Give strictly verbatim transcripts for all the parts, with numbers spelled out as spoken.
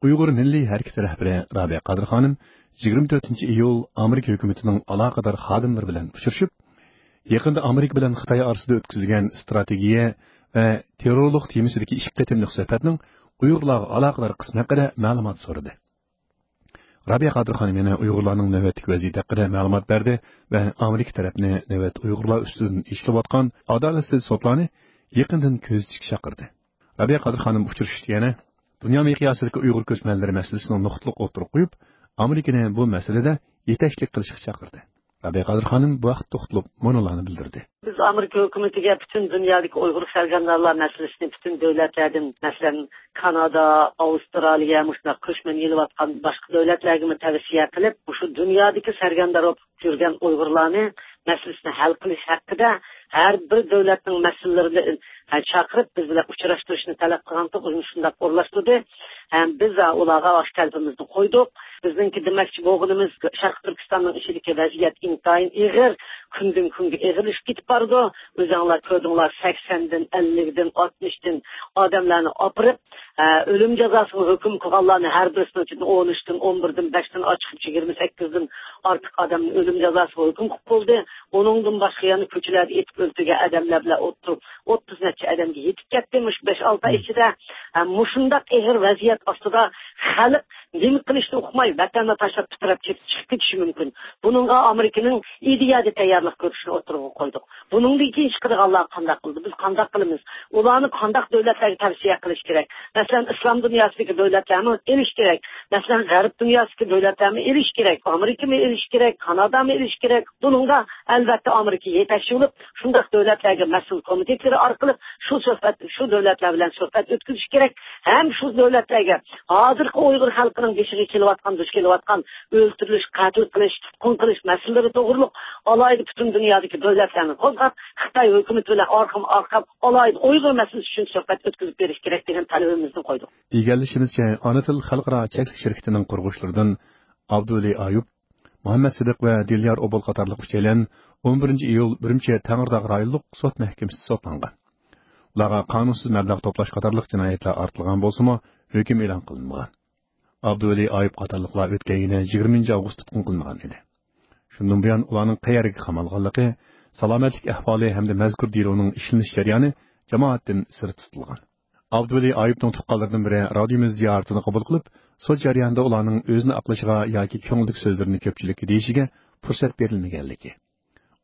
ئۇيغۇر مىللىي ھەرىكىتى رەھبىرى رابىيە قادىر خانىم يىگىرمە تۆتىنچى ئىيۇل ئامېرىكا ھۆكۈمىتىنىڭ ئالاقىدار خادىملىرى بىلەن ئۇچرىشىپ، يېقىندا ئامېرىكا بىلەن خىتاي ئارىسىدا ئۆتكۈزۈلگەن ئىستراتېگىيە ۋە تېررورلۇق تېمىسىدىكى ئىككى قېتىملىق سۆھبەتنىڭ ئۇيغۇرلارغا ئالاقىدار قىسمى ھەققىدە مەلۇمات سورىدى. رابىيە قادىر خانىم يەنە ئۇيغۇرلارنىڭ نۆۋەتتىكى ۋەزىيىتى ھەققىدە مەلۇمات بەردى ۋە ئامېرىكا تەرەپنى نۆۋەتتە ئۇيغۇرلار ئۈستىدىن ئېچىلىۋاتقان ئادالەتسىز سوتلارنى يېقىندىن كۆزىتىشكە چاقىردى. رابىيە قادىر خانىم ئۇچرىشىشتا يەنە دۇنيا مىقياسىدىكى ئۇيغۇر كۆچمەنلىرى مەسىلىسىنى نۇقتىلىق ئوتتۇرىغا قويۇپ، ئامېرىكىنى بۇ مەسىلىدە يېتەكچىلىك قىلىشقا چاقىردى. رابىيە قادىر خانىم بۇ ھەقتە توختىلىپ مۇنۇلارنى بىلدۈردى. بىز ئامېرىكا ھۆكۈمىتىگە پۈتۈن دۇنيادىكى ئۇيغۇر سەرگەردانلار مەسىلىسىنى پۈتۈن دۆلەتلەردىن، مەسىلەن، كانادا، ئاۋسترالىيە، مۇشۇنداق كۆچمەن ئېلىۋاتقان باشقا دۆلەتلەرگىمۇ تەۋسىيە قىلىپ، مۇشۇ دۇنيادىكى سەرگەردان بولۇپ يۈرگەن ئۇيغۇرلارنى مەسىلىسىنى ھەل قىلىش ھەققىدە ھەر بىر دۆلەتنىڭ مەسئۇللىرىنى، ھە، چاقىرىپ، بىز بىلەن ئۇچراشتۇرۇشنى تەلەپ قىلغانتۇق، ئۇنى شۇنداق ئورۇنلاشتۇردى. ھەم بىز، ھە، ئۇلارغا ئاشۇ تەلىپىمىزنى قويدۇق. بىزنىڭكى دېمەكچى بولغىنىمىز، شەرقىي تۈركىستاننىڭ ئىچىدىكى ۋەزىيەت ئىنتايىن ئېغىر، كۈندىن كۈنگە ئېغىرلىشىپ كېتىپ بارىدۇ. ئۆزۈڭلار كۆردۈڭلار، سەكسەندىن، ئەللىكتىن، ئاتمىشتىن ئادەملەرنى ئاپىرىپ، ئە، ئۆلۈم جازاسىغا ھۆكۈم قىلغانلارنى ھەر بىرسىنىڭ ئىچىدىن ئون ئۈچتىن، ئون بىردىن، بەشتىن ئاچىقىپ يىگىرمە سەككىزدىن ئارتۇق ئادەمنى ئۆلۈم جازاسىغا ھۆكۈم قىلىپ بولدى. ئۇنىڭدىن باشقا يەنە كوچىلەردە ئېتىپ ئۆلتۈرگەن ئادەملەر بىلەن ئوتتۇرا ئوتتۇز نەچچە ئادەمگە يېتىپ كەتتى مۇشۇ بەش ئالتە ئاي ئىچىدە. ھە، مۇشۇنداق ئېغىر ۋەزىيەت ئاستىدا خەلق نېمە قىلىشنى ئۇقماي، ۋەتەننى تاشلاپ پىتىراپ كېتىپ چىقىپ كېتىشى مۇمكىن. بۇنىڭغا ئامېرىكىنىڭ ئىدىيەدە تەييارلىق كۆرۈشىنى ئوتتۇرىغا قويدۇق. بۇنىڭدىن كېيىن چىقىدىغانلار قانداق قىلىدۇ؟ بىز قانداق قىلىمىز؟ ئۇلارنى قانداق دۆلەتلەرگە تەۋسىيە قىلىش كېرەك؟ مەسىلەن، ئىسلام دۇنياسىدىكى دۆلەتلەرمۇ ئېلىش كېرەك. مەسىلەن، غەرب دۇنياسىدىكى دۆلەتلەرمۇ ئېلىش كېرەك. ئامېرىكىمۇ ئېلىش كېرەك، كانادامۇ ئېلىش كېرەك. بۇنىڭدا، ئەلۋەتتە، ئامېرىكا يېتەكچى بولۇپ، شۇنداق دۆلەتلەرگە مەسئۇل كومىتېتلىرى ئارقىلىق شۇ سۆھبەت، شۇ دۆلەتلەر بىلەن سۆھبەت ئۆتكۈزۈش كېرەك. ھەم شۇ دۆلەتلەرگە ھازىرقى ئۇيغۇر خەلقىنىڭ بېشىغا كېلىۋاتقان، دۇچ كېلىۋاتقان ئۆلتۈرۈلۈش، قەتل قىلىش، تۇتقۇن قىلىش مەسىلىلىرى توغرۇلۇق ئالاھىدە پۈتۈن دۇنيادىكى دۆلەتلەرنى قوزغاپ، خىتاي ھۆكۈمىتى بىلەن ئارقىمۇ ئارقا ئالاھىدە ئۇيغۇر مەسىلىسى ئۈچۈن سۆھبەت ئۆتكۈزۈپ بېرىش كېرەك دېگەن تەلىپىمىزنى قويدۇق. ئىگىلىشىمىزچە، ئانا تىل خەلقئارا چەكلىك شىركىتىنىڭ قۇرغۇچىلىرىدىن ئابدۇۋەلى ئايۇپ، مۇھەممەت سىدىق ۋە دىليار ئوبۇل قاتارلىق ئۈچەيلەن ئون بىرىنچى ئىيۇل ئۈرۈمچى تەڭرىتاغ رايونلۇق سوت مەھكىمىسىدە سوتلانغان. ئۇلارغا قانۇنسىز مەبلەغ توپلاش قاتارلىق جىنايەتلەر ئارتىلغان بولسىمۇ، ھۆكۈم ئېلان قىلىنمىغان. ئابدۇۋەلى ئايۇپ قاتارلىقلار ئۆتكەن يىلى يىگىرمىنچى ئاۋغۇست تۇتقۇن قىلىنغان ئىدى. شۇندىن بۇيان ئۇلارنىڭ قەيەرگە قامالغانلىقى، سالامەتلىك ئەھۋالى ھەمدە مەزكۇر دېلونىڭ ئىشلىنىش جەريانى جامائەتتىن سىرت تۇتۇلغان. ئابدۇۋەلى ئايۇپنىڭ تۇغقانلىرىدىن بىرى رادىيومىز زىيارىتىنى قوبۇل قىلىپ، سوت جەريانىدا ئۇلارنىڭ ئۆزىنى ئاقلىشىغا ياكى كۆڭلىدىكى سۆزلىرىنى كۆپچىلىككە دېيىشىگە پۇرسەت بېرىلمىگەنلىكى،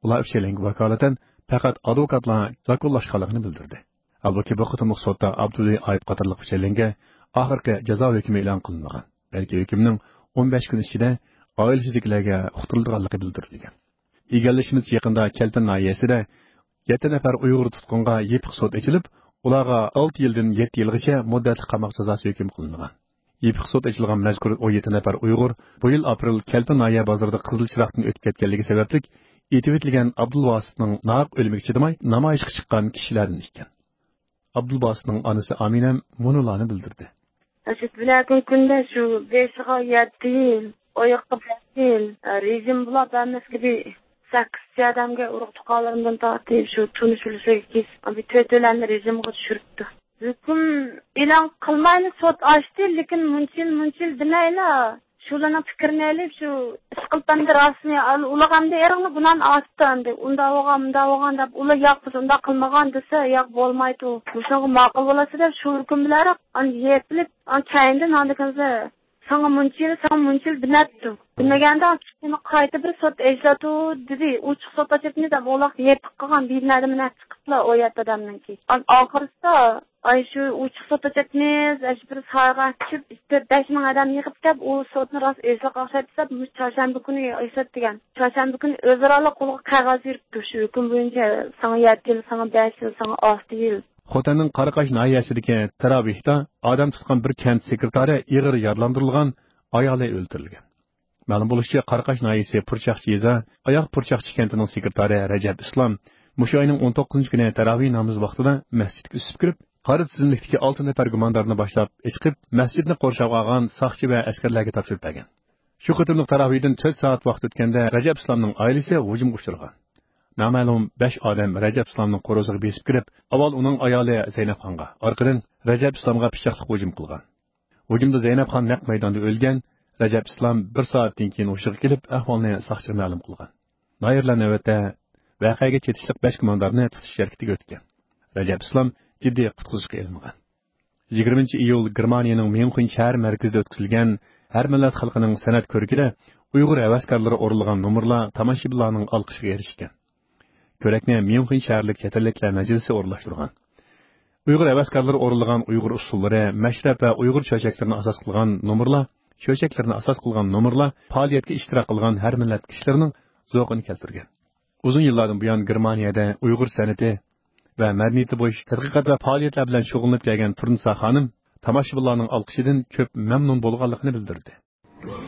ئۇلار ئۈچەيلەنگە ۋاكالىتەن پەقەت ئادۋوكاتلار زاكونلاشقانلىقىنى بىلدۈردى. ھالبۇكى، بۇ قېتىملىق سوتتا ئابدۇۋەلى ئايۇپ قاتارلىق ئۈچەيلەنگە ئاخىرقى جازا ھۆكمى ئېلان قىلىنمىغان، بەلكى ھۆكۈمنىڭ ئون بەش كۈن ئىچىدە ئائىلىسىدىكىلەرگە ئۇقتۇرۇلىدىغانلىقى بىلدۈرۈلگەن. ئىگىلىشىمىزچە، يېقىندا كەلپىن ناھىيەسىدە يەتتە نەپەر ئۇيغۇر تۇتقۇنغا يېپىق سوت ئېچىلىپ، ئۇلارغا ئالتە يىلدىن يەتتە يىلغىچە مۇددەتلىك قاماق جازاسى ھۆكۈم قىلىنغان. يېپىق سوت ئېچىلغان مەزكۇر ئون يەتتە نەپەر ئۇيغۇر بۇ يىل ئاپرېل كەلپىن ناھىيە بازىرىدا قىزىل چىراغدىن ئۆتۈپ كەتكەنلىكى سەۋەبلىك ئېتىۋېتىلگەن ئابدۇلۋاسىتنىڭ ناھەق ئۆلۈمىگە چىدىماي نامايىشقا چىققان كىشىلەردىن ئىكەن. ئابدۇلباسىتنىڭ ئانىسى ئامىنەم مۇنۇلارنى بىلدۈردى. ئاشۇ بىلەكۈن كۈندە شۇ بېشىغا يەتتە يىل، ئاياققا بەش يىل، رېجىم بولاپ ھەممىسىگە بىر سەككىز ئادەمگە ئۇرۇق تۇغقانلىرىمدىن تارتىپ شۇ تونۇش بىلىشلىرىگە كېسىپ، بىر تۆت ئۆلەمنى رېجىمغا چۈشۈرۈپتۇ. ھۆكۈم ئېلان قىلمايلا سوت ئاچتى، لېكىن مۇنچە يىل، مۇنچە يىل دېمەيلا، شۇلارنىڭ پىكرىنى ئېلىپ، شۇ ئىش قىلىپ ئەمدى راستىنى، ئۇلار ئەمدى ئېرىقنى گۇناھنى ئارتىپتۇ ئەمدى. ئۇنداق بولغان، مۇنداق بولغان دەپ، ئۇلار ياق، بىز ئۇنداق قىلمىغان دېسە، ياق بولمايدۇ. مۇشۇنىڭغا ماقۇل بولاسىز دەپ شۇ ھۆكۈم بىلەنرەك ئاندىن يېپىلىپ، ئاندىن كەينىدىن ئاندىن كېيىن ساڭا مۇنچە يىل، ساڭا مۇنچە يىل دېمەپتۇ. دېمىگەندە، كېيىن قايتا بىر سوت ئېچىلىدۇ دېدى. ئوچۇق سوت ئاچاتمىز دەپ، ئۇلار يېپىق قىلغان بىنادىن مېنى چىقىپلا، ئۇ يەتتە ئادەمنىڭكى. ئاخىرسىدا، ئاي، شۇ ئوچۇق سوت ئاچاتمىز، ئاشۇ بىر سايغا چۈشۈپ، تۆت بەش مىڭ ئادەم يىغىپ كەپ، ئۇ سوتنى راست ئېچىلىشقا ئوخشايدۇ دەپ، مۇشۇ چارشەنبە كۈنى ئېچىلىدۇ دېگەن. چارشەنبە كۈنى ئۆزئارا قولغا قەغەز بېرىپتۇ، شۇ ھۆكۈم بويىچە ساڭا يەتتە يىل، ساڭا بەش يىل، ساڭا ئالتە يىل. خوتەننىڭ قاراقاش ناھىيەسىدىكى تاراۋىھتا ئادەم تۇتقان بىر كەنت سېكرېتارى ئېغىر يارىلاندۇرۇلغان، ئايالى ئۆلتۈرۈلگەن. مەلۇم بولۇشىچە، قاراقاش ناھىيەسى پۇرچاقچى يېزا ئاياغ پۇرچاقچى كەنتىنىڭ سېكرېتارى رەجەپ ئىسلام مۇشۇ ئاينىڭ ئون توققۇزىنچى كۈنى تاراۋىھ نامىزى ۋاقتىدا مەسچىتكە ئۈسۈپ كىرىپ، قارا تىزىملىكتىكى ئالتە نەپەر گۇماندارنى باشلاپ ئېچىقىپ، مەسچىتنى قورشاۋغا ئالغان ساقچى ۋە ئەسكەرلەرگە تاپشۇرۇپ بەرگەن. شۇ قېتىملىق تاراۋىھدىن تۆت سائەت ۋاقىت ئۆتكەندە، رەجەپ ئىسلامنىڭ ئائىلىسى ھۇجۇمغا ئۇچرىغان. نامەلۇم بەش ئادەم رەجەپ ئىسلامنىڭ قورۇسىغا بېسىپ كىرىپ، ئاۋۋال ئۇنىڭ ئايالى زەينەپخانغا، ئارقىدىن رەجەپ ئىسلامغا پىچاقلىق ھۇجۇم قىلغان. ھۇجۇمدا زەينەپخان نەق مەيداندا ئۆلگەن، رەجەپ ئىسلام بىر سائەتتىن كېيىن ھوشىغا كېلىپ، ئەھۋالنى ساقچىغا مەلۇم قىلغان. دائىرىلەر نۆۋەتتە ۋەقەگە چېتىشلىق بەش گۇماندارنى تۇتۇش ھەرىكىتىگە ئۆتكەن. رەجەپ ئىسلام جىددىي قۇتقۇزۇشقا ئېلىنغان. يىگىرمىنچى ئىيۇل گېرمانىيەنىڭ ميۇنخېن شەھەر مەركىزىدە ئۆتكۈزۈلگەن ھەر مىللەت خەلقىنىڭ سەنئەت كۆرىكىدە ئۇيغۇر ھەۋەسكارلىرى ئورۇنلىغان نومۇرلار تاماشىبىنلارنىڭ ئالقىشىغا ئېرىشكەن. كۆرەكنى ميۇنخېن شەھەرلىك چەت ئەللىكلەر مەجلىسى ئورۇنلاشتۇرغان. ئۇيغۇر ھەۋەسكارلىرى ئورۇنلىغان ئۇيغۇر ئۇسسۇللىرى، مەشرەپ ۋە ئۇيغۇر چۆچەكلىرىنى ئاساس قىلغان نومۇرلار، چۆچەكلىرىنى ئاساس قىلغان نومۇرلار پائالىيەتكە ئىشتىراك قىلغان ھەر مىللەت كىشىلىرىنىڭ زوقىنى كەلتۈرگەن. ئۇزۇن يىللاردىن بۇيان گېرمانىيەدە ئۇيغۇر سەنئىتى ۋە مەدەنىيىتى بويىچە تەتقىقات ۋە پائالىيەتلەر بىلەن شۇغۇللىنىپ كەلگەن تۇرنىسا خانىم تاماشىبىنلارنىڭ ئالقىشىدىن كۆپ مەمنۇن بولغانلىقىنى بىلدۈردى.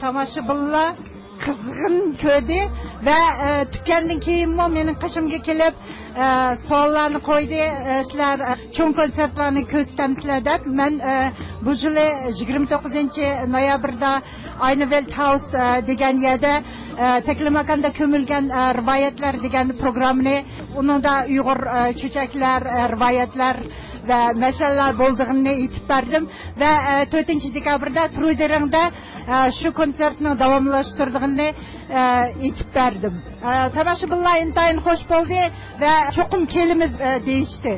تاماشىبىنلار قىزغىن كۆردى ۋە، ئە، تۈگەندىن كېيىنمۇ مېنىڭ قېشىمغا كېلىپ، ئە، سوئاللارنى قويدى. ئە، سىلەر، ئە، چوڭ كونسېرتلارنى كۆرسىتەمسىلەر دەپ. مەن، ئە، بۇ يىلى يىگىرمە توققۇزىنچى نويابىردا ئاينىۋېلت ھاوس، ئە، دېگەن يەردە، ئە، تەكلىماكاندا كۆمۈلگەن، ئە، رىۋايەتلەر دېگەن پروگراممىنى، ئۇنىڭدا ئۇيغۇر، ئە، چۆچەكلەر، ئە، رىۋايەتلەر ۋە مەسىلىلەر بولىدىغىنىنى ئېيتىپ بەردىم. ۋە، ئە، تۆتىنچى دېكابىردا ترۇدېرىڭدا، ئە، شۇ كونسېرتنىڭ داۋاملاشتۇرىدىغىنىنى، ئە، ئېيتىپ بەردىم. ئە، تاماشىبىنلار ئىنتايىن خوش بولدى ۋە چوقۇم كېلىمىز، ئە، دېيىشتى.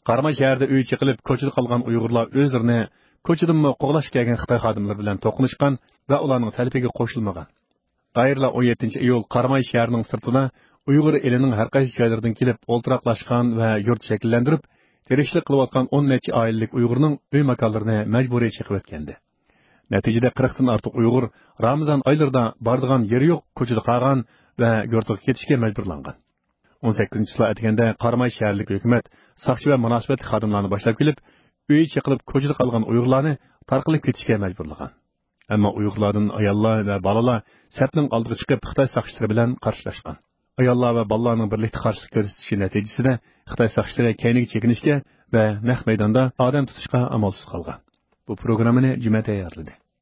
قاراماي شەھىرىدە ئۆي چېقىلىپ، كوچىدا قالغان ئۇيغۇرلار ئۆزلىرىنى كوچىدىنمۇ قوغلاشقا كەلگەن خىتاي خادىملىرى بىلەن توقۇنۇشقان ۋە ئۇلارنىڭ تەلىپىگە قوشۇلمىغان. دائىرىلەر ئون يەتتىنچى ئىيۇل قاراماي شەھىرىنىڭ سىرتىدا ئۇيغۇر ئېلىنىڭ ھەر قايسى جايلىرىدىن كېلىپ ئولتۇراقلاشقان ۋە يۇرت شەكىللەندۈرۈپ، تىرىكچىلىك قىلىۋاتقان ئون نەچچە ئائىلىلىك ئۇيغۇرنىڭ ئۆي ماكانلىرىنى مەجبۇرىي چېقىۋەتكەنىدى. نەتىجىدە قىرىقتىن ئارتۇق ئۇيغۇر رامىزان ئايلىرىدا بارىدىغان يېرى يوق كوچىدا قالغان ۋە يۇرتىغا كېتىشكە مەجبۇرلانغان. ئون سەككىزىنچى چىسلا ئەتىگەندە قاراماي شەھەرلىك ھۆكۈمەت ساقچى ۋە مۇناسىۋەتلىك خادىملارنى باشلاپ كېلىپ، ئۆيى چېقىلىپ كوچىدا قالغان ئۇيغۇرلارنى تارقىلىپ كېتىشكە مەجبۇرلىغان. ئەمما ئۇيغۇرلاردىن ئاياللار ۋە بالىلار سەپنىڭ ئالدىغا چىقىپ، خىتاي ساقچىلىرى بىلەن قارشىلاشقان. ئاياللار ۋە بالىلارنىڭ بىرلىكتە قارشىلىق كۆرسىتىشى نەتىجىسىدە خىتاي ساقچىلىرى كەينىگە چېكىنىشكە ۋە نەق مەيداندا ئادەم تۇتۇشقا ئامالسىز قالغان. بۇ پروگراممىنى جۈمە تەييارلىدى.